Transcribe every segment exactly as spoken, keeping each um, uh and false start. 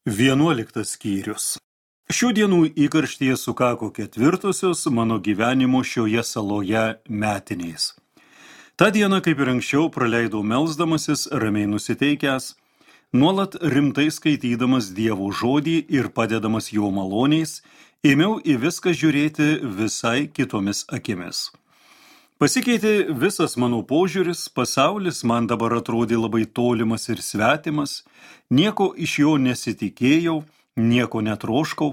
Vienuoliktas skyrius. Šių dienų įkarštyje sukako ketvirtosios mano gyvenimo šioje saloje metinės. Ta diena, kaip ir anksčiau, praleidau melsdamasis, ramiai nusiteikęs, nuolat rimtai skaitydamas Dievo žodį ir padedamas jo maloniais, ėmiau į viską žiūrėti visai kitomis akimis. Pasikeitė visas mano požiūris, pasaulis man dabar atrodė labai tolimas ir svetimas, nieko iš jo nesitikėjau, nieko netroškau,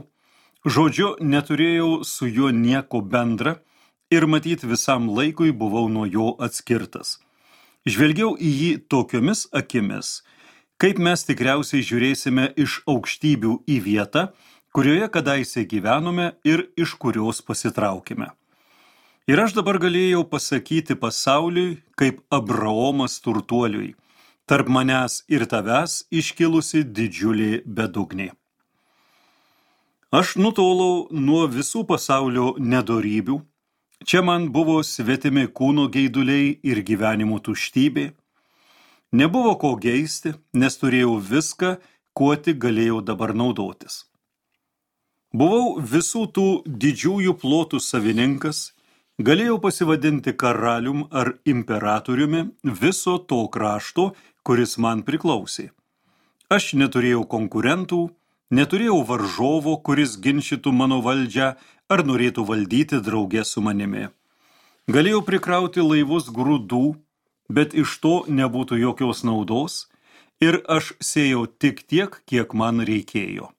žodžiu, neturėjau su juo nieko bendra ir matyt visam laikui buvau nuo jo atskirtas. Žvelgiau į jį tokiomis akimis, kaip mes tikriausiai žiūrėsime iš aukštybių į vietą, kurioje kadaise gyvenome ir iš kurios pasitraukime. Ir aš dabar galėjau pasakyti pasauliui, kaip Abraomas turtuoliui, tarp manęs ir tavęs iškilusi didžiulė bedugnė. Aš nutolau nuo visų pasaulio nedorybių, čia man buvo svetimi kūno geiduliai ir gyvenimo tuštybė, nebuvo ko geisti, nes turėjau viską, kuo tik galėjau dabar naudotis. Buvau visų tų didžiųjų plotų savininkas, galėjau pasivadinti karalium ar imperatoriumi viso to krašto, kuris man priklausė. Aš neturėjau konkurentų, neturėjau varžovo, kuris ginčytų mano valdžią ar norėtų valdyti drauge su manimi. Galėjau prikrauti laivus grūdų, bet iš to nebūtų jokios naudos ir aš sėjau tik tiek, kiek man reikėjo.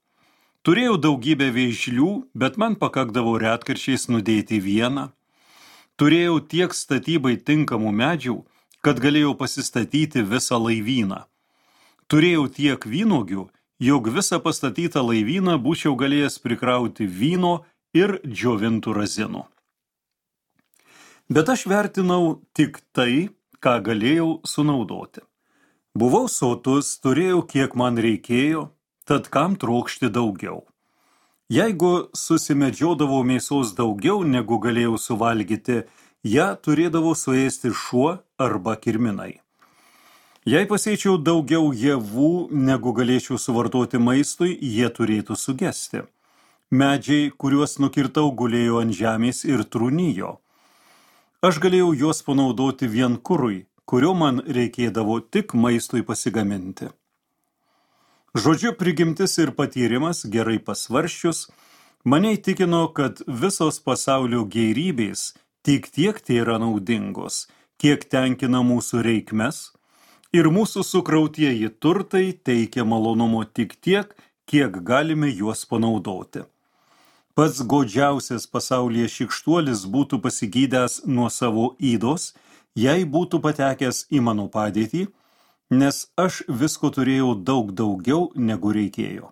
Turėjau daugybę vėžlių, bet man pakakdavo retkarčiais nudėti vieną. Turėjau tiek statybai tinkamų medžių, kad galėjau pasistatyti visą laivyną. Turėjau tiek vynuogių, jog visą pastatytą laivyną būčiau galėjęs prikrauti vyno ir džiovintų razinų. Bet aš vertinau tik tai, ką galėjau sunaudoti. Buvau sotus, turėjau kiek man reikėjo, tad kam trokšti daugiau. Jeigu susimedžiodavau mėsos daugiau, negu galėjau suvalgyti, ją turėdavo suėsti šuo arba kirminai. Jei pasėčiau daugiau javų, negu galėčiau suvartoti maistui, jie turėtų sugesti. Medžiai, kuriuos nukirtau, gulėjo ant žemės ir trūnijo. Aš galėjau juos panaudoti vien kurui, kurio man reikėdavo tik maistui pasigaminti. Žodžiu, prigimtis ir patyrimas, gerai pasvarsčius, mane įtikino, kad visos pasaulio gėrybės tik tiek tai yra naudingos, kiek tenkina mūsų reikmes, ir mūsų sukrautieji turtai teikia malonumo tik tiek, kiek galime juos panaudoti. Pats godžiausias pasaulyje šikštuolis būtų pasigydęs nuo savo ydos, jei būtų patekęs į mano padėtį, nes aš visko turėjau daug daugiau, negu reikėjo.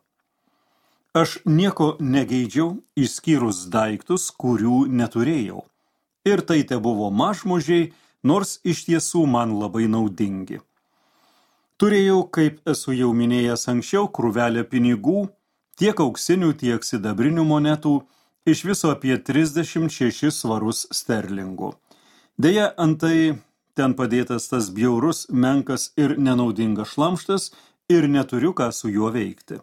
Aš nieko negeidžiau, išskyrus daiktus, kurių neturėjau. Ir tai te buvo mažmožiai, nors iš tiesų man labai naudingi. Turėjau, kaip esu jau minėjęs anksčiau, krūvelę pinigų, tiek auksinių, tiek sidabrinių monetų, iš viso apie trisdešimt šešis svarus sterlingų. Deja, antai ten padėtas tas bjaurus, menkas ir nenaudingas šlamštas ir neturiu ką su juo veikti.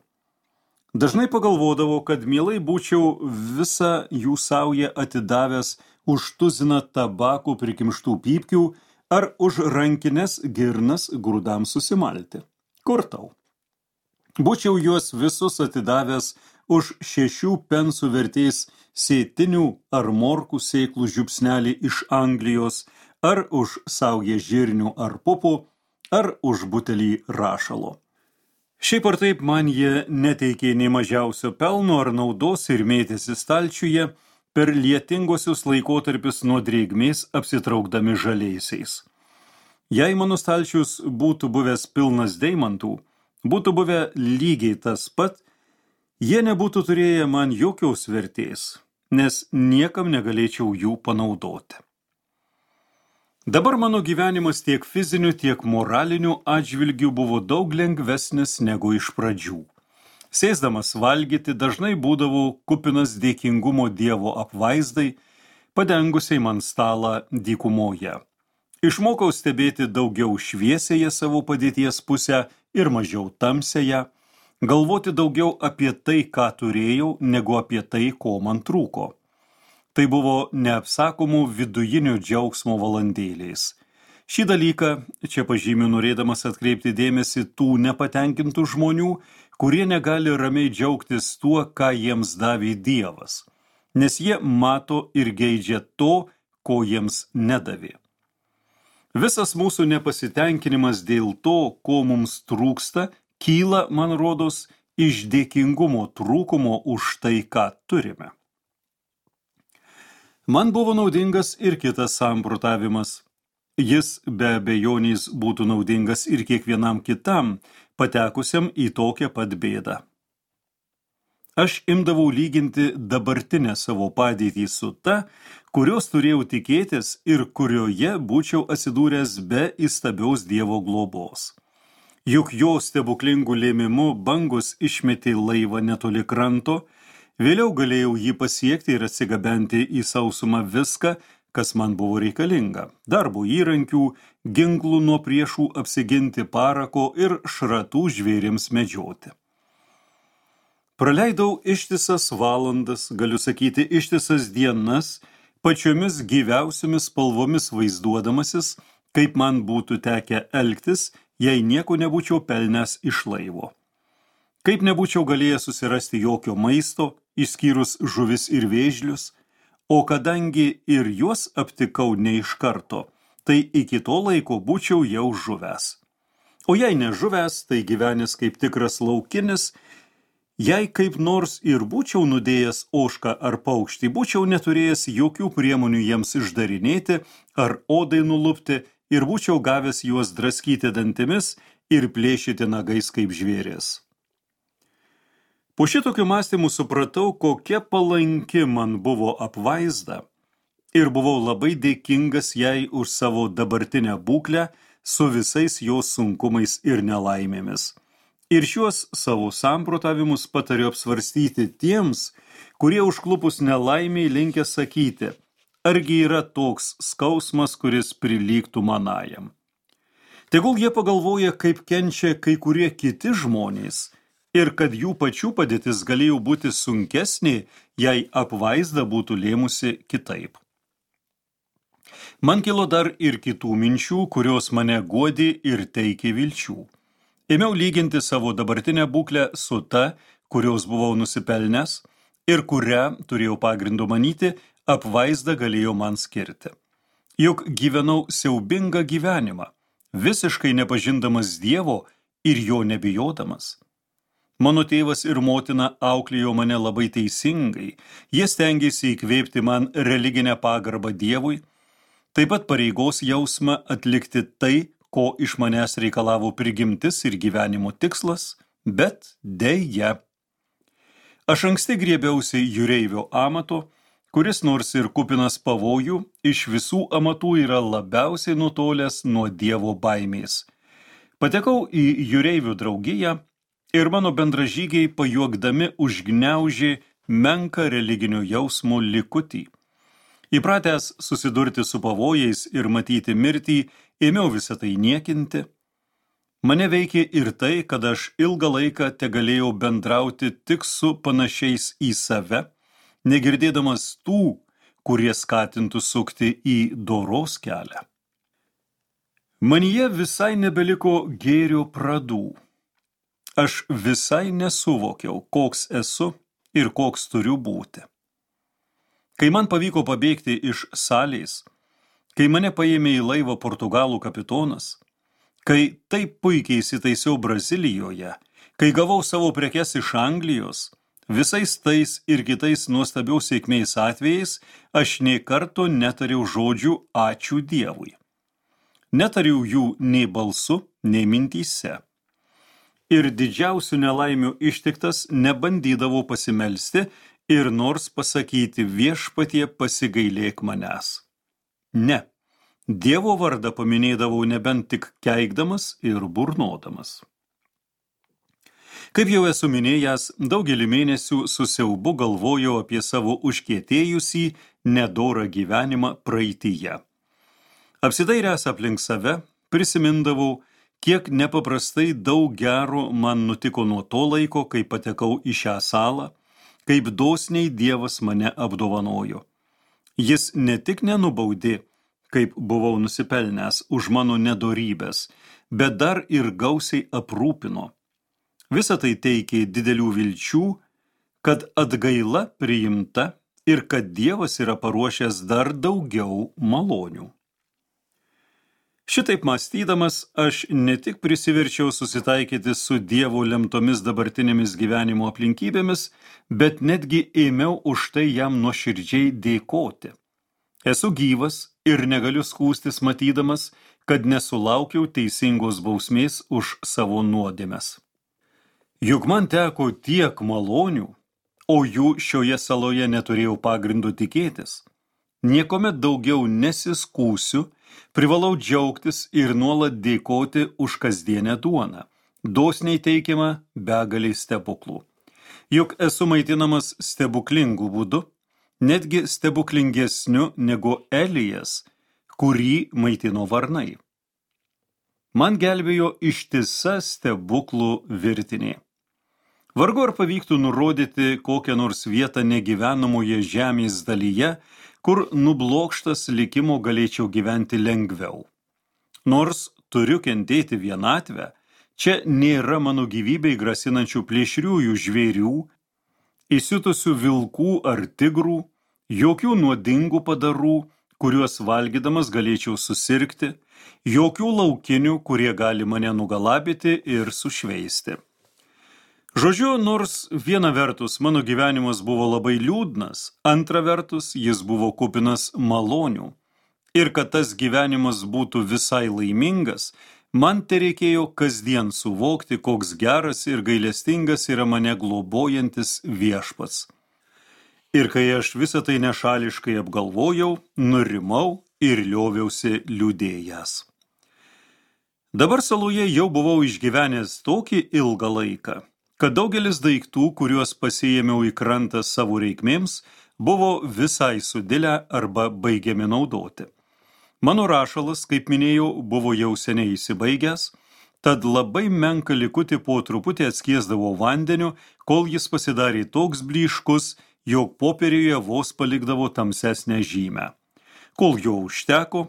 Dažnai pagalvodavau, kad mielai būčiau visą jų saują atidavęs už tuziną tabakų prikimštų pypkių ar už rankines girnas grūdams susimalti. Kur tau? Būčiau juos visus atidavęs už šešių pensų vertės sėtinių ar morkų sėklų žiupsnelį iš Anglijos, ar už saują žirnių ar pupų, ar už butelį rašalo. Šiaip ar taip man jie neteikė nei mažiausio pelno ar naudos ir mėtėsi stalčiuje per lietingosius laikotarpius nuo drėgmės apsitraukdami žaliaisiais. Jei mano stalčius būtų buvęs pilnas deimantų, būtų buvę lygiai tas pat, jie nebūtų turėję man jokios vertės, nes niekam negalėčiau jų panaudoti. Dabar mano gyvenimas tiek fiziniu, tiek moraliniu atžvilgiu buvo daug lengvesnis negu iš pradžių. Sėsdamas valgyti dažnai būdavau kupinas dėkingumo Dievo apvaizdai, padengusiai man stalą dykumoje. Išmokau stebėti daugiau šviesėje savo padėties pusę ir mažiau tamsėje, galvoti daugiau apie tai, ką turėjau, negu apie tai, ko man trūko. Tai buvo neapsakomų vidujinių džiaugsmo valandėliais. Šį dalyką čia pažymiu norėdamas atkreipti dėmesį tų nepatenkintų žmonių, kurie negali ramiai džiaugtis tuo, ką jiems davė Dievas, nes jie mato ir geidžia to, ko jiems nedavė. Visas mūsų nepasitenkinimas dėl to, ko mums trūksta, kyla, man rodos, iš dėkingumo trūkumo už tai, ką turime. Man buvo naudingas ir kitas samprotavimas. Jis be abejonės būtų naudingas ir kiekvienam kitam, patekusiam į tokią pat bėdą. Aš imdavau lyginti dabartinę savo padėtį su ta, kurios turėjau tikėtis ir kurioje būčiau atsidūręs be įstabiaus Dievo globos. Juk jo stebuklingų lėmimu bangos išmetė laivą netoli kranto, vėliau galėjau jį pasiekti ir atsigabenti į sausumą viską, kas man buvo reikalinga – darbo įrankių, ginklų nuo priešų apsiginti, parako ir šratų žvėrims medžioti. Praleidau ištisas valandas, galiu sakyti ištisas dienas, pačiomis gyviausiomis spalvomis vaizduodamasis, kaip man būtų tekę elgtis, jei nieko nebūčiau pelnęs iš laivo. Kaip nebūčiau galėjęs susirasti jokio maisto, išskyrus žuvis ir vėžlius, o kadangi ir juos aptikau ne iš karto, tai iki to laiko būčiau jau žuvęs. O jei nežuvęs, tai gyvenęs kaip tikras laukinis, jei kaip nors ir būčiau nudėjęs ožką ar paukštį, būčiau neturėjęs jokių priemonių jiems išdarinėti ar odai nulupti ir būčiau gavęs juos draskyti dantimis ir plėšyti nagais kaip žvėris. Po šitokių mąstymų supratau, kokia palanki man buvo apvaizda ir buvau labai dėkingas jai už savo dabartinę būklę su visais jos sunkumais ir nelaimėmis. Ir šiuos savo samprotavimus patariu apsvarstyti tiems, kurie užklupus nelaimiai linkę sakyti, argi yra toks skausmas, kuris prilygtų manajam. Tegul jie pagalvoja, kaip kenčia kai kurie kiti žmonės ir kad jų pačių padėtis galėjo būti sunkesnė, jei apvaizda būtų lėmusi kitaip. Man kilo dar ir kitų minčių, kurios mane guodė ir teikė vilčių. Ėmiau lyginti savo dabartinę būklę su ta, kurios buvau nusipelnęs ir kurią, turėjau pagrindo manyti, apvaizda galėjo man skirti. Juk gyvenau siaubingą gyvenimą, visiškai nepažindamas Dievo ir jo nebijodamas. Mano tėvas ir motina auklėjo mane labai teisingai, jie stengėsi įkvėpti man religinę pagarbą Dievui, taip pat pareigos jausmą atlikti tai, ko iš manęs reikalavo prigimtis ir gyvenimo tikslas, bet deja. Aš anksti griebiausi jūreivio amato, kuris nors ir kupinas pavojų, iš visų amatų yra labiausiai nutolęs nuo Dievo baimės. Patekau į jūreivių draugiją ir mano bendražygiai pajuokdami užgniaužė menką religinio jausmo likutį. Įpratęs susidurti su pavojais ir matyti mirtį, ėmiau visą tai niekinti. Mane veikė ir tai, kad aš ilgą laiką tegalėjau bendrauti tik su panašiais į save, negirdėdamas tų, kurie skatintų sukti į doros kelią. Manyje visai nebeliko gėrio pradų. Aš visai nesuvokiau, koks esu ir koks turiu būti. Kai man pavyko pabėgti iš salės, kai mane paėmė į laivą Portugalų kapitonas, kai taip puikiai įsitaisiau Brazilijoje, kai gavau savo prekes iš Anglijos, visais tais ir kitais nuostabiaus sėkmės atvejais aš nė karto netariau žodžių ačiū Dievui. Netariau jų nei balsu, nei mintyse. Ir didžiausių nelaimių ištiktas nebandydavau pasimelsti ir nors pasakyti viešpatie pasigailėk manęs. Ne, Dievo vardą paminėdavau nebent tik keikdamas ir burnodamas. Kaip jau esu minėjęs, daugelį mėnesių su siaubu galvojau apie savo užkietėjusį nedorą gyvenimą praeityje. Apsidairęs aplink save, prisimindavau, kiek nepaprastai daug gero man nutiko nuo to laiko, kai patekau į šią salą, kaip dosniai Dievas mane apdovanojo. Jis ne tik nenubaudė, kaip buvau nusipelnęs už mano nedorybės, bet dar ir gausiai aprūpino. Visa tai teikė didelių vilčių, kad atgaila priimta ir kad Dievas yra paruošęs dar daugiau malonių. Šitaip mąstydamas, aš ne tik prisiverčiau susitaikyti su Dievo lemtomis dabartinėmis gyvenimo aplinkybėmis, bet netgi ėmiau už tai jam nuoširdžiai dėkoti. Esu gyvas ir negaliu skųstis matydamas, kad nesulaukiau teisingos bausmės už savo nuodėmes. Juk man teko tiek malonių, o jų šioje saloje neturėjau pagrindo tikėtis. Niekuomet daugiau nesiskūsiu, privalau džiaugtis ir nuolat dėkoti už kasdienę duoną, dosniai teikiamą begaliai stebuklų. Juk esu maitinamas stebuklingų būdu, netgi stebuklingesniu negu Elijas, kurį maitino varnai. Man gelbėjo ištisa stebuklų virtinė. Vargu ar pavyktų nurodyti kokią nors vietą negyvenamoje žemės dalyje, kur nublokštas likimo galėčiau gyventi lengviau. Nors turiu kentėti vienatvę, čia nėra mano gyvybei grasinančių plėšriųjų žvėrių, įsiutusių vilkų ar tigrų, jokių nuodingų padarų, kuriuos valgydamas galėčiau susirgti, jokių laukinių, kurie gali mane nugalabyti ir sušveisti. Žodžiu, nors viena vertus mano gyvenimas buvo labai liūdnas, antra vertus jis buvo kupinas malonių. Ir kad tas gyvenimas būtų visai laimingas, man tereikėjo kasdien suvokti, koks geras ir gailestingas yra mane globojantis viešpats. Ir kai aš visą tai nešališkai apgalvojau, nurimau ir lioviausi liūdėjęs. Dabar saloje jau buvau išgyvenęs tokį ilgą laiką, kad daugelis daiktų, kuriuos pasiėmiau į krantą savo reikmėms, buvo visai sudilę arba baigiami naudoti. Mano rašalas, kaip minėjau, buvo jau seniai įsibaigęs, tad labai menką likutį po truputį atskiesdavau vandeniu, kol jis pasidarė toks blyškus, jog popieriuje vos palikdavo tamsesnę žymę. Kol jo užteko,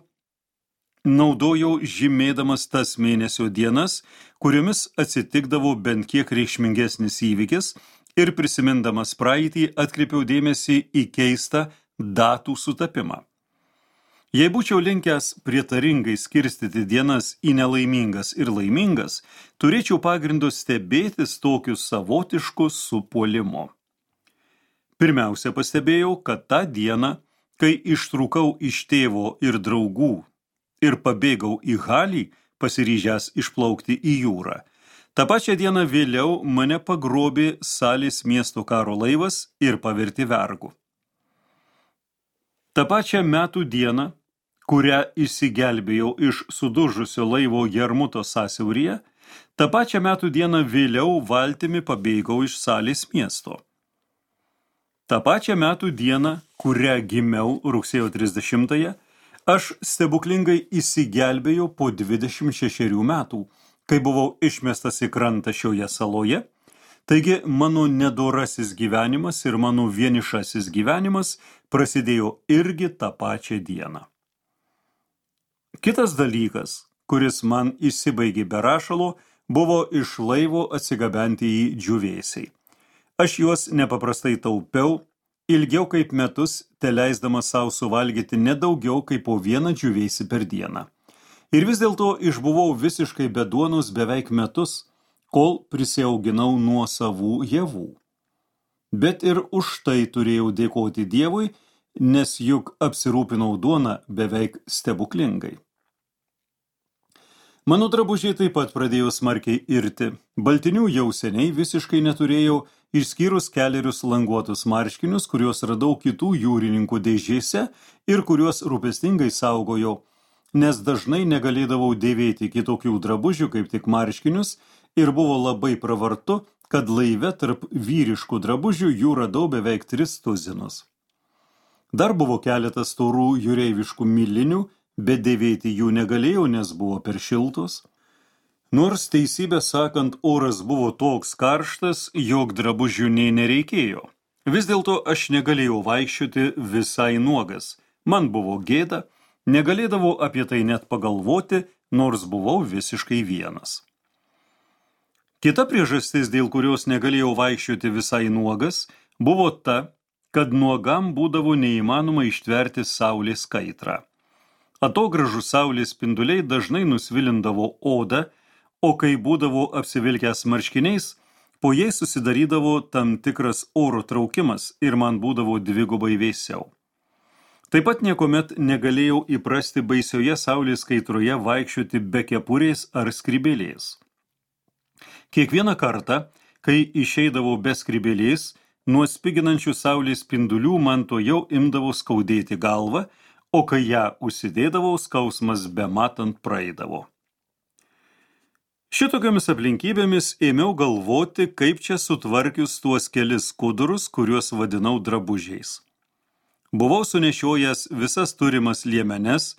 naudojau žymėdamas tas mėnesio dienas, kuriomis atsitikdavo bent kiek reikšmingesnis įvykis ir prisimindamas praeitį atkreipiau dėmesį į keistą datų sutapimą. Jei būčiau linkęs prietaringai skirstyti dienas į nelaimingas ir laimingas, turėčiau pagrindo stebėtis tokiu savotišku supuolimu. Pirmiausia pastebėjau, kad tą dieną, kai ištrūkau iš tėvo ir draugų ir pabėgau į Halį, pasiryžęs išplaukti į jūrą. Ta pačią dieną vėliau mane pagrobė Salės miesto karo laivas ir pavertė vergu. Ta pačią metų dieną, kurią išsigelbėjau iš sudužusio laivo Jarmuto sąsiauryje, ta pačią metų dieną vėliau valtimi pabėgau iš Salės miesto. Ta pačią metų dieną, kurią gimiau rugsėjo trisdešimtąją, aš stebuklingai įsigelbėjau po dvidešimt šešerių metų, kai buvau išmestas į krantą šioje saloje, taigi mano nedorasis gyvenimas ir mano vienišasis gyvenimas prasidėjo irgi tą pačią dieną. Kitas dalykas, kuris man įsibaigė be rašalo, buvo iš laivo atsigabenti į džiūvėsiai. Aš juos nepaprastai taupiau, ilgiau kaip metus, teleisdamas savo suvalgyti nedaugiau kaip po vieną džiūvėsį per dieną. Ir vis dėlto išbuvau visiškai be duonos beveik metus, kol prisiauginau nuo savų javų. Bet ir už tai turėjau dėkoti Dievui, nes juk apsirūpinau duoną beveik stebuklingai. Mano drabužiai taip pat pradėjo smarkiai irti. Baltinių jau seniai visiškai neturėjau, išskyrus kelerius languotus marškinius, kuriuos radau kitų jūrininkų dėžėse ir kuriuos rūpestingai saugojau, nes dažnai negalėdavau dėvėti kitokių drabužių kaip tik marškinius ir buvo labai pravartu, kad laive tarp vyriškų drabužių jų radau beveik tris tuzinus. Dar buvo keletas storų jūreiviškų milinių, bet dėvėti jų negalėjau, nes buvo per šiltos. Nors teisybę sakant, oras buvo toks karštas, jog drabužių nei nereikėjo. Vis dėlto aš negalėjau vaikščioti visai nuogas. Man buvo gėda, negalėdavau apie tai net pagalvoti, nors buvau visiškai vienas. Kita priežastis, dėl kurios negalėjau vaikščioti visai nuogas, buvo ta, kad nuogam būdavo neįmanoma ištverti saulės kaitrą. Atogražų saulės spinduliai dažnai nusvilindavo odą, o kai būdavo apsivilkęs marškiniais, po jais susidarydavo tam tikras oro traukimas ir man būdavo dvigubai vėsiau. Taip pat niekuomet negalėjau įprasti baisioje saulės kaitroje vaikščioti be kepurės ar skrybėlės. Kiekvieną kartą, kai išeidavau be skrybėlės, nuo spiginančių saulės spindulių man to jau imdavo skaudėti galvą, o kai ją užsidėdavau, skausmas bematant praeidavo. Šitokiamis aplinkybėmis ėmiau galvoti, kaip čia sutvarkius tuos kelis skudurus, kuriuos vadinau drabužiais. Buvau sunešiojęs visas turimas liemenes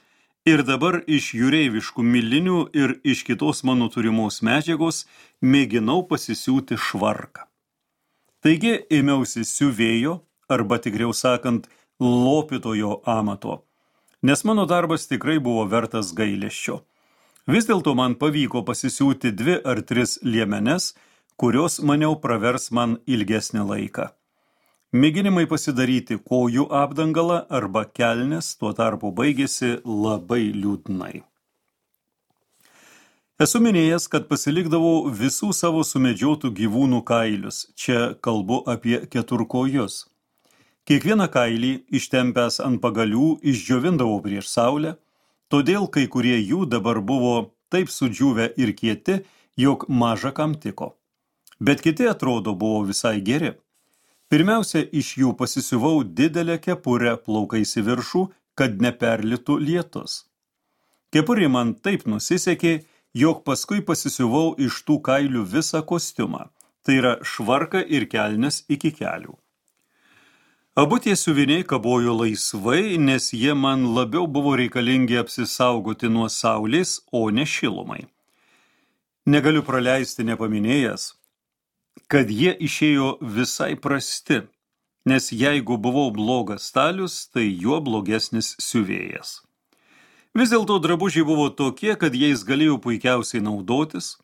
ir dabar iš jūreiviškų milinių ir iš kitos mano turimos medžiagos mėginau pasisiūti švarką. Taigi ėmiausi siuvėjo, arba tikriau sakant, lopytojo amato, nes mano darbas tikrai buvo vertas gailesčio. Vis dėlto man pavyko pasisiūti dvi ar tris liemenes, kurios maniau pravers man ilgesnį laiką. Mėginimai pasidaryti kojų apdangalą arba kelnes tuo tarpu baigėsi labai liūdnai. Esu minėjęs, kad pasilikdavau visų savo sumedžiotų gyvūnų kailius, čia kalbu apie keturkojus. Kiekvieną kailį, ištempęs ant pagalių, išdžiovindavau prieš saulę, todėl kai kurie jų dabar buvo taip sudžiūvę ir kieti, jog maža kam tiko. Bet kiti atrodo buvo visai geri. Pirmiausia, iš jų pasisiuvau didelę kepurę plaukais į viršų, kad neperlitų lietus. Kepurė man taip nusisekė, jog paskui pasisiuvau iš tų kailių visą kostiumą, tai yra švarką ir kelnes iki kelių. Abu tie siuviniai kabojo laisvai, nes jie man labiau buvo reikalingi apsisaugoti nuo saulės, o ne šilumai. Negaliu praleisti nepaminėjęs, kad jie išėjo visai prasti, nes jeigu buvau blogas stalius, tai juo blogesnis siuvėjas. Vis dėlto drabužiai buvo tokie, kad jais galėjau puikiausiai naudotis.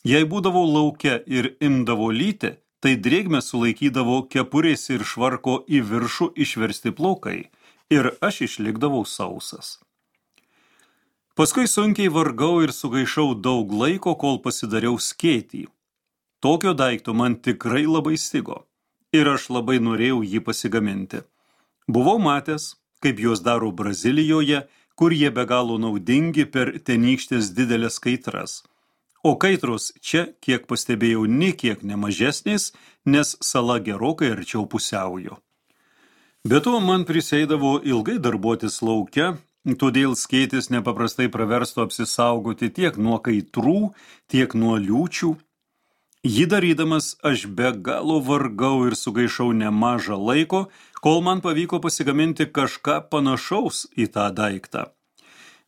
Jei būdavau lauke ir imdavo lyti, tai drėgmę sulaikydavo kepurės ir švarko į viršų išversti plaukai ir aš išlikdavau sausas. Paskui sunkiai vargau ir sugaišau daug laiko, kol pasidariau skėtį. Tokio daikto man tikrai labai stigo ir aš labai norėjau jį pasigaminti. Buvau matęs, kaip juos daro Brazilijoje, kur jie be galo naudingi per tenykštės didelės kaitras. O kaitros čia, kiek pastebėjau, nė kiek nemažesnės, nes sala gerokai arčiau pusiaujo. Be to man priseidavo ilgai darbuotis lauke, todėl skėtis nepaprastai praverstų apsisaugoti tiek nuo kaitrų, tiek nuo liūčių. Jį darydamas aš be galo vargau ir sugaišau nemažą laiko, kol man pavyko pasigaminti kažką panašaus į tą daiktą.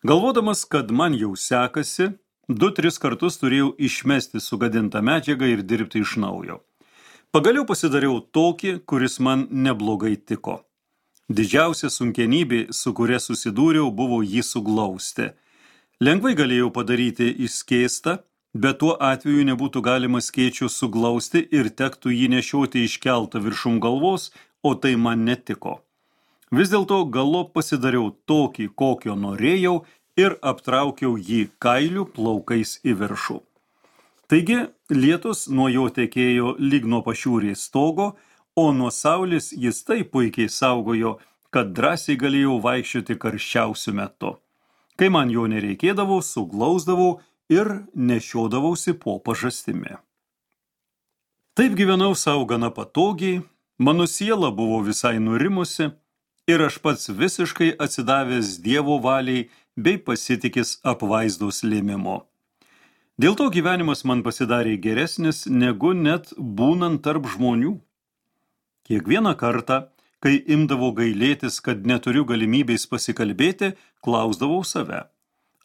Galvodamas, kad man jau sekasi, Du, tris kartus turėjau išmesti sugadintą medžiagą ir dirbti iš naujo. Pagaliau pasidariau tokį, kuris man neblogai tiko. Didžiausia sunkenybė, su kuria susidūriau, buvo jį suglausti. Lengvai galėjau padaryti išskėstą, bet tuo atveju nebūtų galima skėčių suglausti ir tektų jį nešioti iškeltą viršum galvos, o tai man netiko. Vis dėlto galop pasidariau tokį, kokio norėjau, ir aptraukiau jį kailių plaukais į viršų. Taigi, lietus nuo jo tekėjo lyg nuo pašiūrės stogo, o nuo saulės jis taip puikiai saugojo, kad drąsiai galėjau vaikščioti karščiausiu metu. Kai man jo nereikėdavo, suglausdavau ir nešiodavausi po pažastimi. Taip gyvenau sau gana patogiai, mano siela buvo visai nurimusi ir aš pats visiškai atsidavęs Dievo valiai bei pasitikis apvaizdos lėmimo. Dėl to gyvenimas man pasidarė geresnis, negu net būnant tarp žmonių. Kiekvieną kartą, kai imdavau gailėtis, kad neturiu galimybės pasikalbėti, klausdavau save.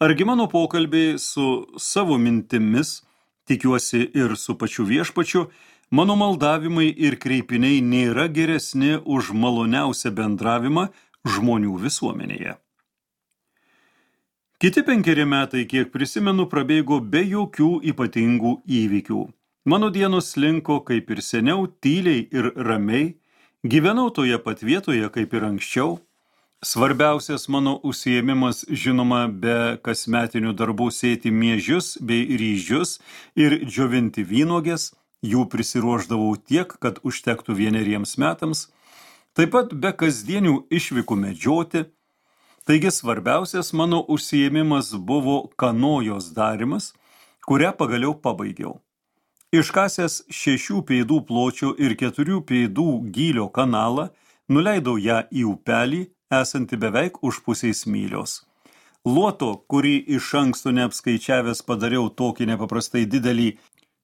Argi mano pokalbiai su savo mintimis, tikiuosi ir su pačiu viešpačiu, mano maldavimai ir kreipiniai nėra geresni už maloniausią bendravimą žmonių visuomenėje. Kiti penkeri metai, kiek prisimenu, prabėgo be jokių ypatingų įvykių. Mano dienos slinko kaip ir seniau, tyliai ir ramiai, gyvenau toje pat vietoje kaip ir anksčiau. Svarbiausias mano užsiėmimas, žinoma, be kasmetinių darbų sėti miežius bei ryžius ir džiovinti vynuogės, jų prisiruošdavau tiek, kad užtektų vieneriems metams, taip pat be kasdienių išvykų medžioti. Taigi svarbiausias mano užsiėmimas buvo kanojos darimas, kurią pagaliau pabaigiau. Iškasęs šešių pėdų pločio ir keturių pėdų gylio kanalą, nuleidau ją į upelį, esanti beveik už pusės mylios. Luoto, kurį iš anksto neapskaičiavęs padariau tokį nepaprastai didelį,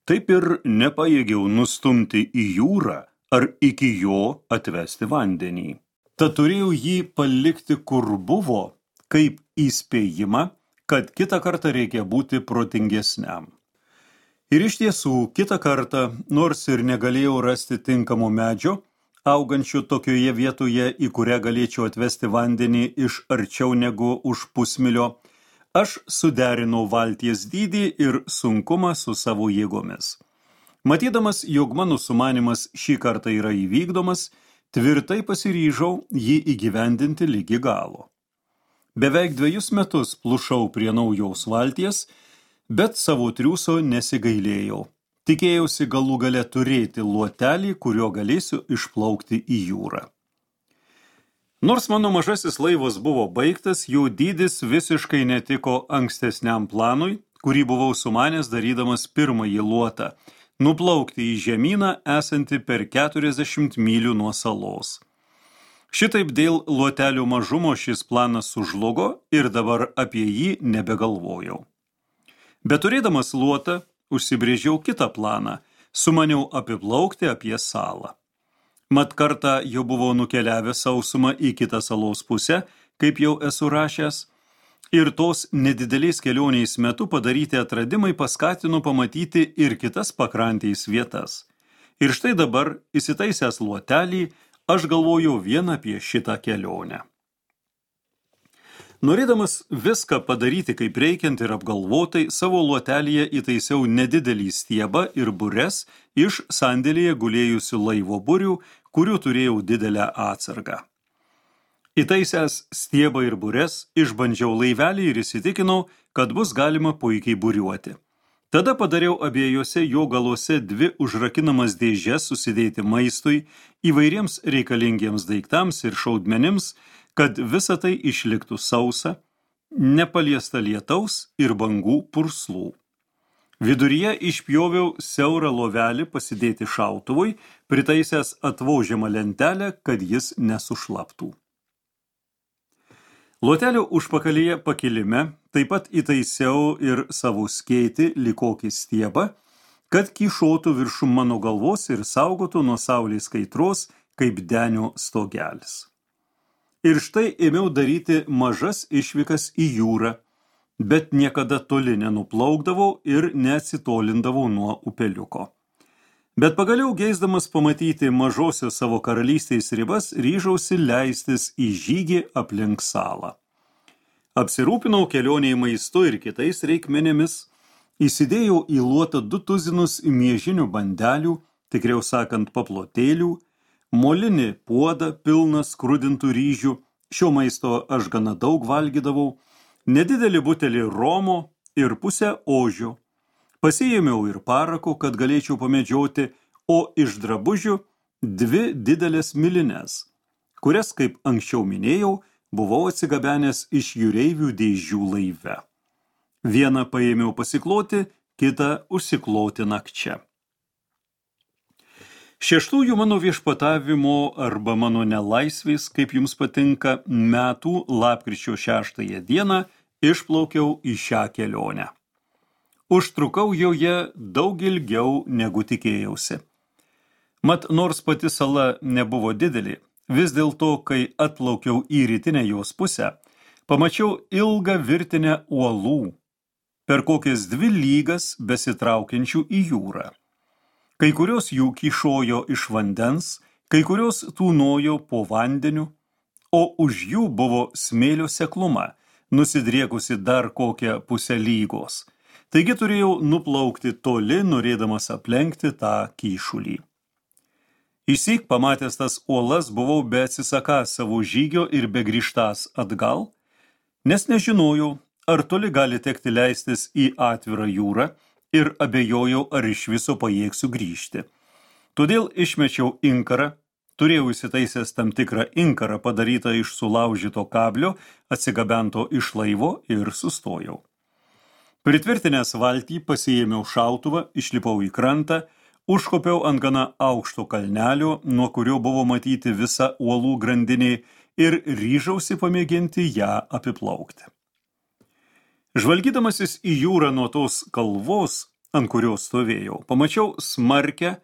taip ir nepajėgiau nustumti į jūrą ar iki jo atvesti vandenį. Tad turėjau jį palikti kur buvo, kaip įspėjimą, kad kitą kartą reikia būti protingesniam. Ir iš tiesų, kitą kartą, nors ir negalėjau rasti tinkamo medžio, augančių tokioje vietoje, į kurią galėčiau atvesti vandenį iš arčiau negu už pusmilio, aš suderinau valties dydį ir sunkumą su savo jėgomis. Matydamas, jog mano sumanymas šį kartą yra įvykdomas, tvirtai pasiryžau jį įgyvendinti lygi galo. Beveik dvejus metus plušau prie naujos valties, bet savo triūso nesigailėjau. Tikėjausi galų gale turėti luotelį, kurio galėsiu išplaukti į jūrą. Nors mano mažasis laivas buvo baigtas, jo dydis visiškai netiko ankstesniam planui, kurį buvau sumanęs darydamas pirmąjį luotą, nuplaukti į žemyną esantį per keturiasdešimt mylių nuo salos. Šitaip dėl luotelio mažumo šis planas sužlugo ir dabar apie jį nebegalvojau. Bet turėdamas luotą, užsibrėžiau kitą planą, sumaniau apiplaukti apie salą. Mat kartą jau buvau nukeliavęs sausumą į kitą salos pusę, kaip jau esu rašęs, ir tos nedidelės kelionės metu padaryti atradimai paskatino pamatyti ir kitas pakrantės vietas. Ir štai dabar, įsitaisęs luotelį, aš galvojau vien apie šitą kelionę. Norėdamas viską padaryti kaip reikiant ir apgalvotai, savo luotelyje įtaisiau nedidelį stiebą ir bures iš sandėlyje gulėjusių laivo burių, kurių turėjau didelę atsargą. Įtaisęs stiebą ir bures, išbandžiau laivelį ir įsitikinau, kad bus galima puikiai buriuoti. Tada padariau abiejose jo galuose dvi užrakinamas dėžes susidėti maistui, įvairiems reikalingiems daiktams ir šaudmenims, kad visa tai išliktų sausa, nepaliesta lietaus ir bangų purslų. Viduryje išpjoviau siaurą lovelį pasidėti šautuvui, pritaisęs atvožiamą lentelę, kad jis nesušlaptų. Luotelio užpakalyje pakilime taip pat įtaisiau ir savo skėtį likokį stiebą, kad kyšotų viršum mano galvos ir saugotų nuo saulės kaitros kaip denio stogelis. Ir štai ėmiau daryti mažas išvykas į jūrą, bet niekada toli nenuplaukdavau ir neatsitolindavau nuo upeliuko. Bet pagaliau geisdamas pamatyti mažosios savo karalystės ribas, ryžausi leistis į žygį aplink salą. Apsirūpinau kelionėje maistu ir kitais reikmenėmis, įsidėjau į luotą du tuzinus miežinių bandelių, tikriau sakant paplotėlių, molinį puodą pilną skrudintų ryžių, šio maisto aš gana daug valgydavau, nedidelį butelį romo ir pusę ožio. Pasiėmiau ir parako, kad galėčiau pamedžioti, o iš drabužių dvi didelės milines, kurias, kaip anksčiau minėjau, buvau atsigabenęs iš jūreivių dėžių laive. Vieną paėmiau pasikloti, kitą užsikloti nakčia. Šeštųjų mano viešpatavimo arba mano nelaisvės, kaip jums patinka, metų lapkričio šeštąją dieną išplaukiau į šią kelionę. Užtrukau joje daug ilgiau negu tikėjausi. Mat, nors pati sala nebuvo didelė, vis dėlto, kai atplaukiau į rytinę jos pusę, pamačiau ilgą virtinę uolų, per kokias dvi lygas besitraukiančių į jūrą. Kai kurios jų kyšojo iš vandens, kai kurios tūnojo po vandeniu, o už jų buvo smėlio sekluma, nusidriekusi dar kokią pusę lygos. Taigi turėjau nuplaukti toli, norėdamas aplenkti tą kyšulį. Išsyk pamatęs tas uolas buvau beatsisakąs savo žygio ir begrįžtąs atgal, nes nežinojau, ar toli gali tekti leistis į atvirą jūrą ir abejojau, ar iš viso pajėgsiu grįžti. Todėl išmečiau inkarą, turėjau įsitaisęs tam tikrą inkarą padarytą iš sulaužyto kablio, atsigabento iš laivo ir sustojau. Pritvirtinęs valtį pasiėmiau šautuvą, išlipau į krantą, užkopiau ant gana aukšto kalnelio, nuo kurio buvo matyti visa uolų grandinė ir ryžausi pamėginti ją apiplaukti. Žvalgydamasis į jūrą nuo tos kalvos, ant kurios stovėjau, pamačiau smarkę,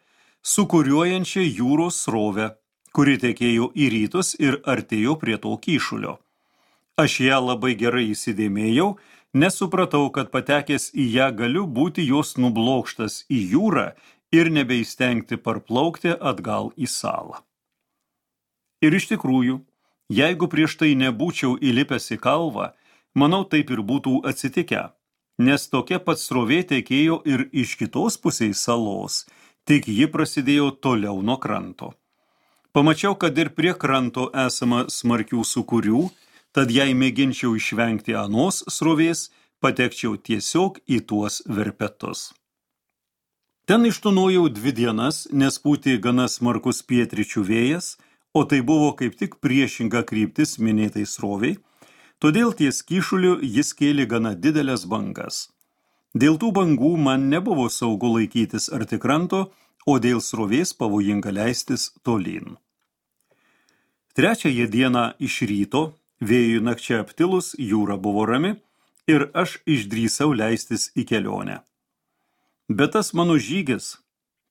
sukuriuojančią jūros srovę, kuri tekėjo į rytus ir artėjo prie to kyšulio. Aš ją labai gerai įsidėmėjau, nes supratau, kad patekęs į ją galiu būti jos nublokštas į jūrą ir nebeįstengti parplaukti atgal į salą. Ir iš tikrųjų, jeigu prieš tai nebūčiau įlipęs į kalvą, manau taip ir būtų atsitikę, nes tokia pat srovė tekėjo ir iš kitos pusės salos, tik ji prasidėjo toliau nuo kranto. Pamačiau, kad ir prie kranto esama smarkių sūkurių, tad jei mėginčiau išvengti anos srovės, patekčiau tiesiog į tuos verpetus. Ten ištūnojau dvi dienas, nes pūtė gana smarkus pietryčių vėjas, o tai buvo kaip tik priešinga kryptis minėtai sroviai, todėl ties kyšuliu jis kėlė gana didelės bangas. Dėl tų bangų man nebuvo saugu laikytis arti kranto, o dėl srovės pavojinga leistis tolyn. Trečiąją dieną iš ryto, vėjui nakčia aptilus, jūra buvo rami ir aš išdrįsau leistis į kelionę. Bet tas mano žygis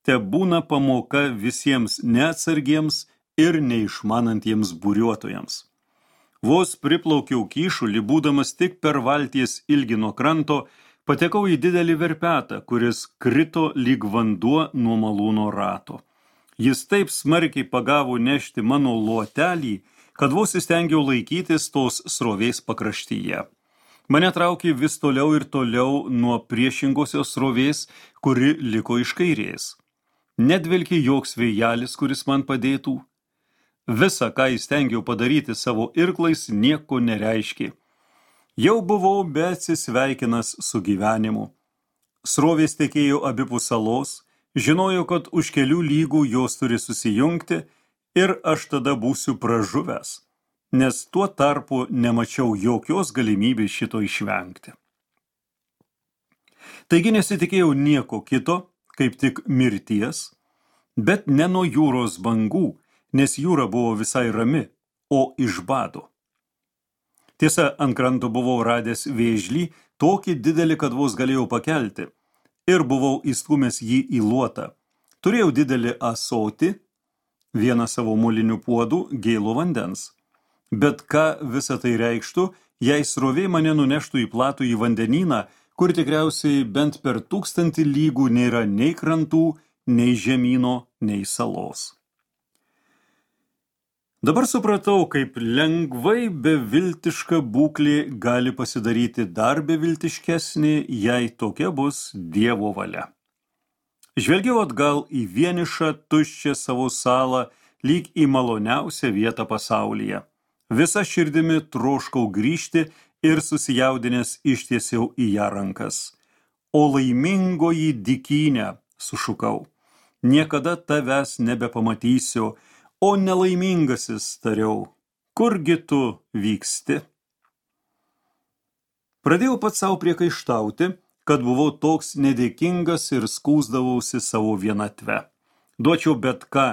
te būna pamoka visiems neatsargiems ir neišmanantiems buriuotojams. Vos priplaukiau kyšulį, būdamas tik per valties ilgį nuo kranto, patekau į didelį verpetą, kuris krito lyg vanduo nuo malūno rato. Jis taip smarkiai pagavo nešti mano luotelį, kad vos įstengiau laikytis tos srovės pakraštyje. Mane traukė vis toliau ir toliau nuo priešingosios srovės, kuri liko iš kairės. Nedvelkė joks vėjelis, kuris man padėtų. Visa, ką įstengiau padaryti savo irklais, nieko nereiškė. Jau buvau beatsisveikinas su gyvenimu. Srovės tekėjo abipus salos, žinojo, kad už kelių lygų jos turi susijungti ir aš tada būsiu pražuvęs, nes tuo tarpu nemačiau jokios galimybės šito išvengti. Taigi nesitikėjau nieko kito, kaip tik mirties, bet ne nuo jūros bangų, nes jūra buvo visai rami, o iš bado. Tiesa, ant kranto buvau radęs vėžlį, tokį didelį, kad vos galėjau pakelti, ir buvau įstūmęs jį į luotą. Turėjau didelį ąsotį, vieną savo molinių puodų, gėlo vandens. Bet ką visa tai reikštų, jei srovė mane nuneštų į platų į vandenyną, kur tikriausiai bent per tūkstantį lygų nėra nei krantų, nei žemyno, nei salos. Dabar supratau, kaip lengvai beviltiška būklė gali pasidaryti dar beviltiškesnė, jei tokia bus Dievo valia. Žvelgiau atgal į vienišą, tuščią savo salą, lyg į maloniausią vietą pasaulyje. Visa širdimi troškau grįžti ir susijaudinęs ištiesiau į ją rankas. O laimingoji dykynė, sušukau, niekada tavęs nebepamatysiu, o nelaimingasis, tariau, kurgi tu vyksti? Pradėjau pats savo priekaištauti, kad buvau toks nedėkingas ir skųsdavausi savo vienatve. Duočiau bet ką,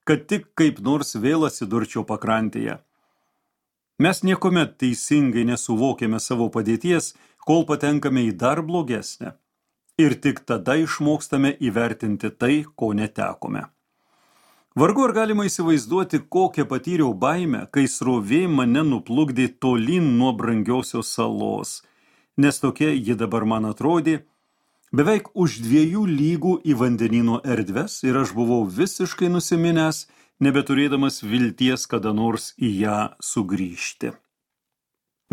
kad tik kaip nors vėl atsidurčiau pakrantėje. Mes niekuomet teisingai nesuvokėme savo padėties, kol patenkame į dar blogesnę. Ir tik tada išmokstame įvertinti tai, ko netekome. Vargu ar galima įsivaizduoti, kokią patyriau baimę, kai srovė mane nuplukdė tolyn nuo brangiosios salos, nes tokia ji dabar man atrodė, beveik už dviejų lygų į vandenyno erdves ir aš buvau visiškai nusiminęs, nebeturėdamas vilties kada nors į ją sugrįžti.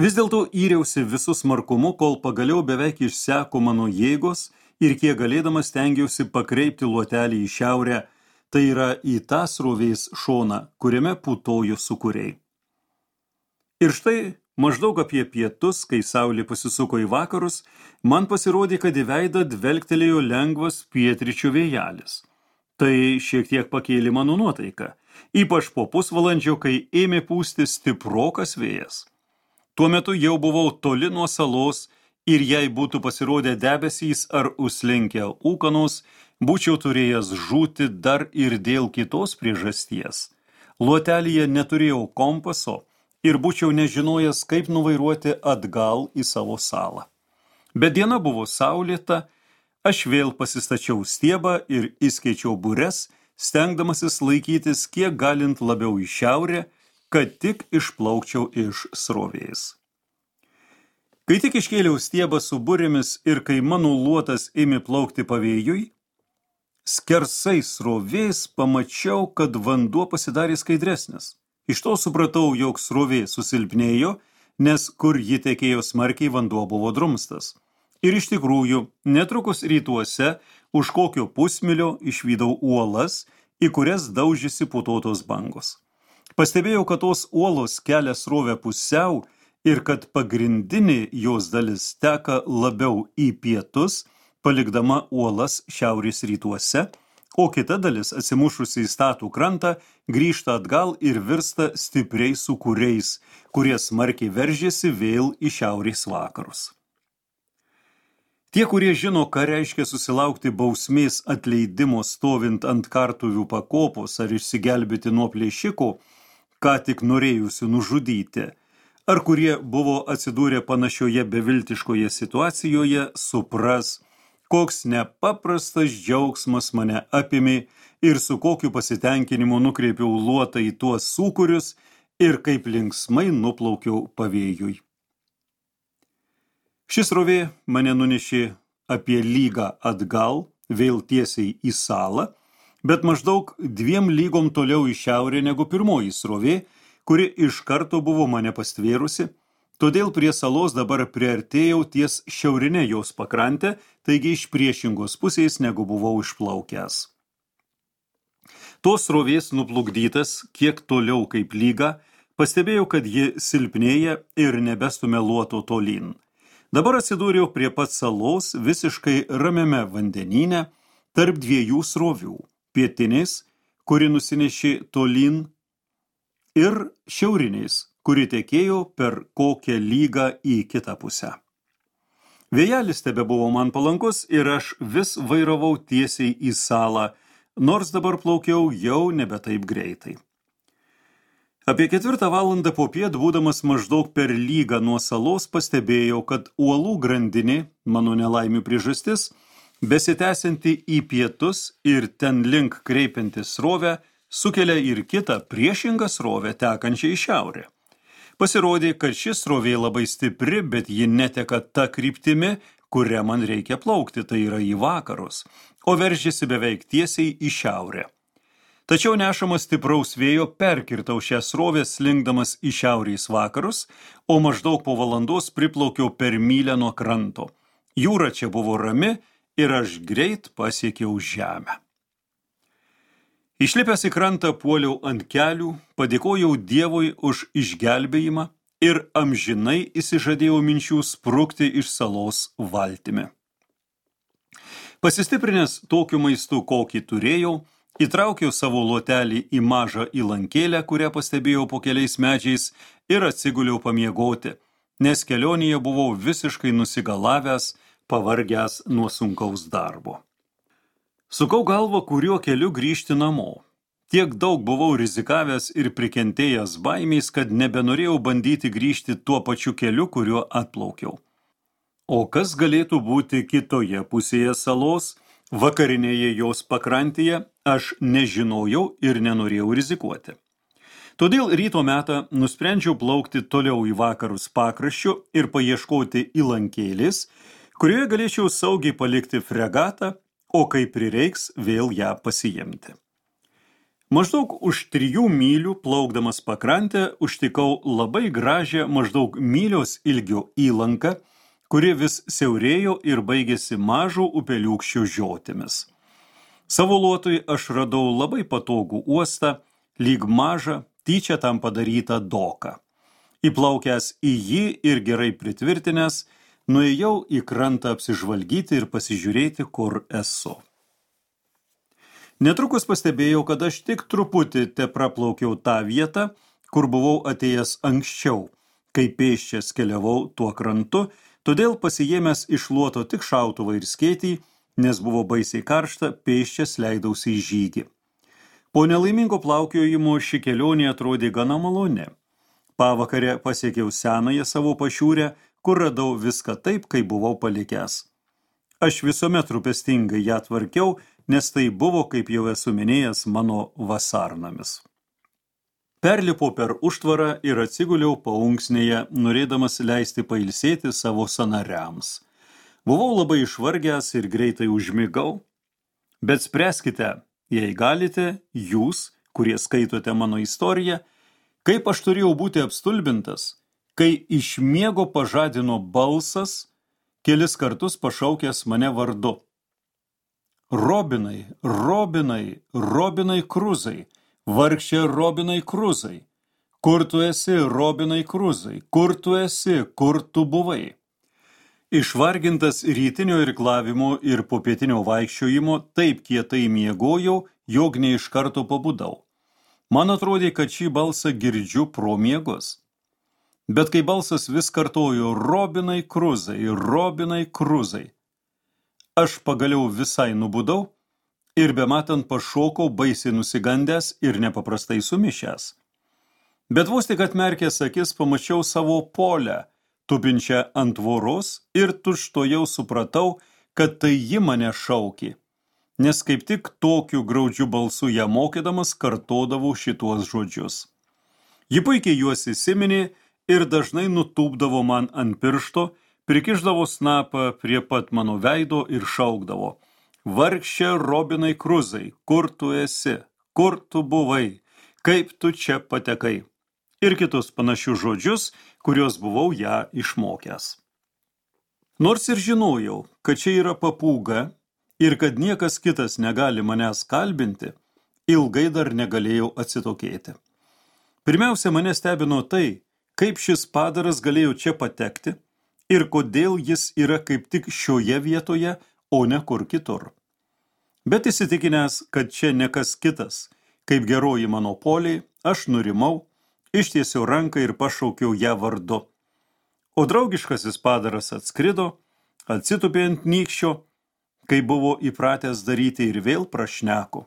Vis dėlto įriausi visu smarkumu, kol pagaliau beveik išseko mano jėgos ir kiek galėdamas stengiausi pakreipti luotelį į šiaurę, tai yra į tą srovės šoną, kuriame putojo sūkuriai. Ir štai maždaug apie pietus, kai saulė pasisuko į vakarus, man pasirodė, kad į veidą dvelgtelėjo lengvas pietryčių vėjelis. Tai šiek tiek pakėlė mano nuotaiką, ypač po pusvalandžio, kai ėmė pūsti stiprokas vėjas. Tuo metu jau buvau toli nuo salos ir jei būtų pasirodę debesys ar užslinkę ūkanos, būčiau turėjęs žūti dar ir dėl kitos priežasties. Luotelyje neturėjau kompaso ir būčiau nežinojęs, kaip nuvairuoti atgal į savo salą. Bet diena buvo saulėta, aš vėl pasistačiau stiebą ir įskaičiau bures, stengdamasis laikytis kiek galint labiau į šiaurę, kad tik išplaukčiau iš srovės. Kai tik iškėliau stiebą su burėmis ir kai mano luotas ėmė plaukti pavėjui, skersai srovės pamačiau, kad vanduo pasidarė skaidresnis. Iš to supratau, jog srovė susilpnėjo, nes kur ji tekėjo smarkiai, vanduo buvo drumstas. Ir iš tikrųjų, netrukus rytuose, už kokio pusmilio išvydau uolas, į kurias daužėsi putotos bangos. Pastebėjau, kad tos uolos kelia srovę pusiau ir kad pagrindinė jos dalis teka labiau į pietus, palikdama uolas šiaurės rytuose, o kita dalis, atsimušusi į statų krantą, grįžta atgal ir virsta stipriais sūkuriais, kurie smarkiai veržėsi vėl į šiaurės vakarus. Tie, kurie žino, ką reiškia susilaukti bausmės atleidimo stovint ant kartuvių pakopos ar išsigelbėti nuo plėšiko, ką tik norėjusių nužudyti, ar kurie buvo atsidūrę panašioje beviltiškoje situacijoje, supras, koks nepaprastas džiaugsmas mane apėmė ir su kokiu pasitenkinimu nukreipiau luotą į tuos sūkurius ir kaip linksmai nuplaukiau pavėjui. Šis srovė mane nunešė apie lygą atgal, vėl tiesiai į salą, bet maždaug dviem lygom toliau į šiaurę negu pirmoji srovė, kuri iš karto buvo mane pastvėrusi, todėl prie salos dabar priartėjau ties šiaurinė jos pakrantė, taigi iš priešingos pusės negu buvau išplaukęs. Tos srovės nuplukdytas kiek toliau kaip lyga, pastebėjau, kad ji silpnėja ir nebestumia luoto tolyn. Dabar atsidūriau prie pat salos visiškai ramiame vandenyne tarp dviejų srovių, pietinės, kuri nusinešė tolyn, ir šiaurinės, kuri tekėjo per kokią lygą į kitą pusę. Vėjelis tebebuvo man palankus ir aš vis vairavau tiesiai į salą, nors dabar plaukiau jau nebe taip greitai. Apie ketvirtą valandą popiet, būdamas maždaug per lygą nuo salos, pastebėjau, kad uolų grandinė, mano nelaimių priežastis, besitęsianti į pietus ir ten link kreipianti srovę, sukelia ir kitą priešingą srovę tekančią į šiaurę. Pasirodė, kad ši srovė labai stipri, bet ji neteka ta kryptimi, kuria man reikia plaukti, tai yra į vakarus, o veržiasi beveik tiesiai į šiaurę. Tačiau nešamas stipraus vėjo perkirtau šią srovę slinkdamas į šiaurės vakarus, o maždaug po valandos priplaukiau per mylę nuo kranto. Jūra čia buvo rami ir aš greit pasiekiau žemę. Išlipęs į krantą puoliau ant kelių, padėkojau Dievui už išgelbėjimą ir amžinai įsižadėjau minčių sprukti iš salos valtimi. Pasistiprinęs tokiu maistu, kokį turėjau, įtraukiau savo luotelį į mažą įlankėlę, kurią pastebėjau po keliais medžiais ir atsiguliau pamiegoti, nes kelionėje buvau visiškai nusigalavęs, pavargęs nuo sunkaus darbo. Sukau galvą, kuriuo keliu grįžti namo. Tiek daug buvau rizikavęs ir prikentėjęs baimės, kad nebenorėjau bandyti grįžti tuo pačiu keliu, kuriuo atplaukiau. O kas galėtų būti kitoje pusėje salos, Vakarinėje jos pakrantėje aš nežinojau ir nenorėjau rizikuoti. Todėl ryto metą nusprendžiau plaukti toliau į vakarus pakraščiu ir paieškoti įlankėlės, kurioje galėčiau saugiai palikti fregatą, o kai prireiks vėl ją pasiimti. Maždaug už trijų mylių plaukdamas pakrantę užtikau labai gražią maždaug mylios ilgio įlanką, kuri vis siaurėjo ir baigėsi mažo upeliūkščio žiotimis. Savo luotui aš radau labai patogų uostą, lyg mažą, tyčia tam padarytą doką. Įplaukęs į jį ir gerai pritvirtinęs, nuėjau į krantą apsižvalgyti ir pasižiūrėti, kur esu. Netrukus pastebėjau, kad aš tik truputį te praplaukiau tą vietą, kur buvau atėjęs anksčiau, kai pėsčias keliavau tuo krantu, todėl pasijėmęs iš luoto tik šautuvą ir skėtį, nes buvo baisiai karšta, pėsčias leidausi į žygį. Po nelaimingo plaukiojimo ši kelionė atrodė gana maloni. Pavakarę pasiekiau senąją savo pašiūrę, kur radau viską taip, kaip buvau palikęs. Aš visuomet rūpestingai ją tvarkiau, nes tai buvo, kaip jau esu minėjęs, mano vasarnamis. Perlipau per užtvarą ir atsiguliau paunksnėje, norėdamas leisti pailsėti savo sanariams. Buvau labai išvargęs ir greitai užmigau, bet spręskite, jei galite, jūs, kurie skaitote mano istoriją, kaip aš turėjau būti apstulbintas, kai iš miego pažadino balsas, kelis kartus pašaukęs mane vardu. Robinai, Robinai, Robinai Kruzai, vargšė Robinai Kruzai, kur tu esi, Robinai Kruzai, kur tu esi, kur tu buvai? Išvargintas rytinio irklavimo ir popietinio vaikščiojimo taip kietai miegojau, jog ne iš karto pabudau. Man atrodė, kad šį balsą girdžiu pro miegus. Bet kai balsas vis kartojo Robinai Kruzai, Robinai Kruzai, aš pagaliau visai nubudau ir bematant pašokau baisiai nusigandęs ir nepaprastai sumišęs. Bet vos tik atmerkęs akis pamačiau savo polę, tupinčią ant tvoros ir tučtuojau supratau, kad tai ji mane šaukė, nes kaip tik tokiu graudžiu balsu ją mokydamas kartodavau šituos žodžius. Ji puikiai juos įsiminė ir dažnai nutūpdavo man ant piršto, prikišdavo snapą prie pat mano veido ir šaukdavo: vargšė Robinai Kruzai, kur tu esi, kur tu buvai, kaip tu čia patekai, ir kitus panašius žodžius, kuriuos buvau ją išmokęs. Nors ir žinojau, kad čia yra papūga ir kad niekas kitas negali manęs kalbinti, ilgai dar negalėjau atsitokėti. Pirmiausia, mane stebino tai, kaip šis padaras galėjo čia patekti ir kodėl jis yra kaip tik šioje vietoje, o ne kur kitur. Bet įsitikinęs, kad čia ne kas kitas, kaip geroji mano poliai, aš nurimau, ištiesiau ranką ir pašaukiau ją vardu. O draugiškasis padaras atskrido, atsitupė ant nykščio, kai buvo įpratęs daryti ir vėl prašneko.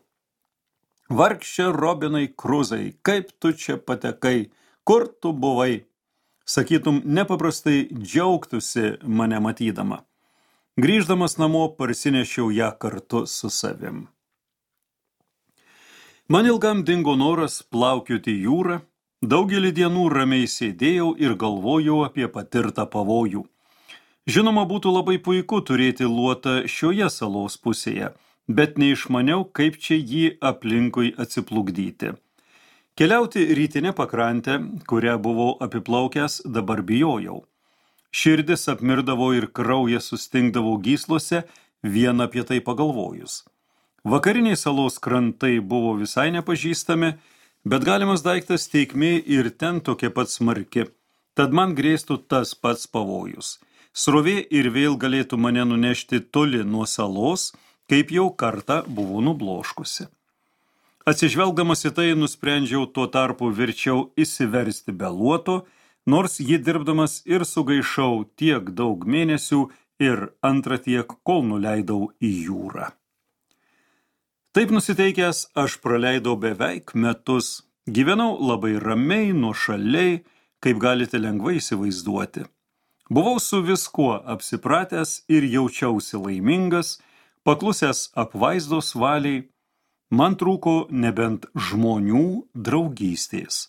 Vargšė Robinai Kruzai, kaip tu čia patekai, kur tu buvai? Sakytum, nepaprastai džiaugtųsi mane matydama. Grįždamas namo parsinešiau ją kartu su savim. Man ilgam dingo noras plaukioti jūrą, daugelį dienų ramiai sėdėjau ir galvojau apie patirtą pavojų. Žinoma, būtų labai puiku turėti luotą šioje salos pusėje, bet neišmaniau, kaip čia jį aplinkui atsiplukdyti. Keliauti rytinę pakrantę, kurią buvau apiplaukęs, dabar bijojau. Širdis apmirdavo ir kraujas sustingdavo gyslose, vien apie tai pagalvojus. Vakariniai salos krantai buvo visai nepažįstami, bet galimas daiktas teikmė ir ten tokia pat smarki, tad man grėstų tas pats pavojus. Srovė ir vėl galėtų mane nunešti toli nuo salos, kaip jau kartą buvo nubloškusi. Atsižvelgdamas į tai, nusprendžiau tuo tarpu verčiau įsiversti be luoto, nors jį dirbdamas ir sugaišau tiek daug mėnesių ir antrą tiek, kol nuleidau į jūrą. Taip nusiteikęs, aš praleidau beveik metus, gyvenau labai ramiai, nuošaliai, kaip galite lengvai įsivaizduoti. Buvau su viskuo apsipratęs ir jaučiausi laimingas, paklusęs apvaizdos valiai, man trūko nebent žmonių draugystės.